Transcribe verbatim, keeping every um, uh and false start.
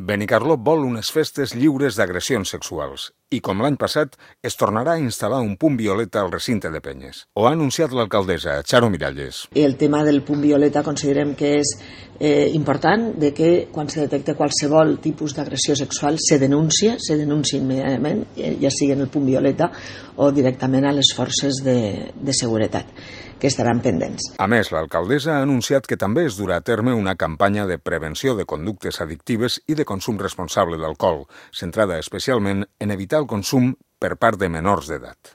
Benicarló vol unes festes lliures d'agressions sexuals i, com l'any passat, es tornarà a instal·lar un punt violeta al recinte de Penyes. Ho ha anunciat l'alcaldessa, Charo Miralles. El tema del punt violeta considerem que és eh, important, de que quan se detecta qualsevol tipus d'agressió sexual se denuncia, se denuncia immediatament, ja sigui en el punt violeta o directament a les forces de, de seguretat, que estaran pendents. A més, l'alcaldessa ha anunciat que també es durà a terme una campanya de prevenció de conductes addictives i de consum responsable d'alcohol, centrada especialment en evitar el consum per part de menors d'edat.